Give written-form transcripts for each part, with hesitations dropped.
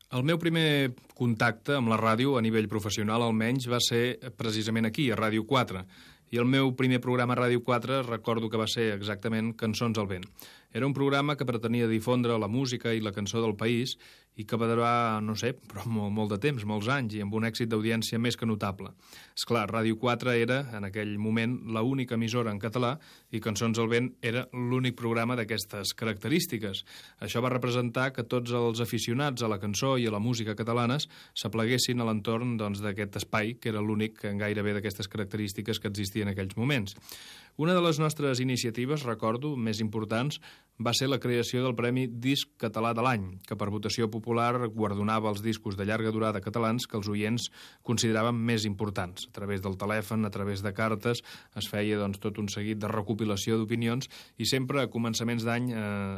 El meu primer contacte amb la ràdio, a nivell professional almenys, va ser precisament aquí, a Ràdio 4. I el meu primer programa a Ràdio 4 recordo que va ser exactament Cançons al vent. Era un programa que pretenia difondre la música i la cançó del país i que va durar, no sé, però molt de temps, molts anys, i amb un èxit d'audiència més que notable. Esclar, Ràdio 4 era, en aquell moment, l'única emissora en català i Cançons al vent era l'únic programa d'aquestes característiques. Això va representar que tots els aficionats a la cançó i a la música catalanes s'apleguessin a l'entorn d'aquest espai, que era l'únic gairebé d'aquestes característiques que existia en aquells moments. Una de les nostres iniciatives, recordo, més importants, va ser la creació del Premi Disc Català de l'Any, que per votació popular guardonava els discos de llarga durada catalans que els oients consideraven més importants. A través del telèfon, a través de cartes, es feia tot un seguit de recopilació d'opinions i sempre a començaments d'any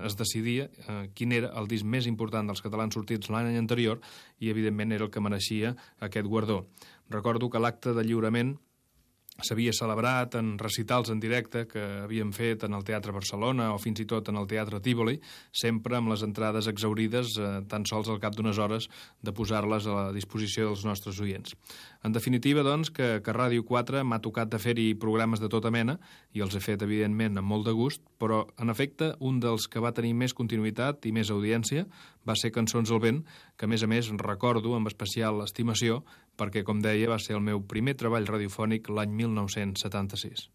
es decidia quin era el disc més important dels catalans sortits l'any anterior i, evidentment, era el que mereixia aquest guardó. Recordo que l'acte de lliurament s'havia celebrat en recitals en directe que havíem fet en el Teatre Barcelona o fins i tot en el Teatre Tívoli, sempre amb les entrades exhaurides tan sols al cap d'unes hores de posar-les a la disposició dels nostres oients. En definitiva, doncs, que a Ràdio 4 m'ha tocat de fer-hi programes de tota mena i els he fet, evidentment, amb molt de gust, però, en efecte, un dels que va tenir més continuïtat i més audiència va ser Cançons al vent, que, a més, recordo amb especial estimació perquè, com deia, va ser el meu primer treball radiofònic l'any 1976.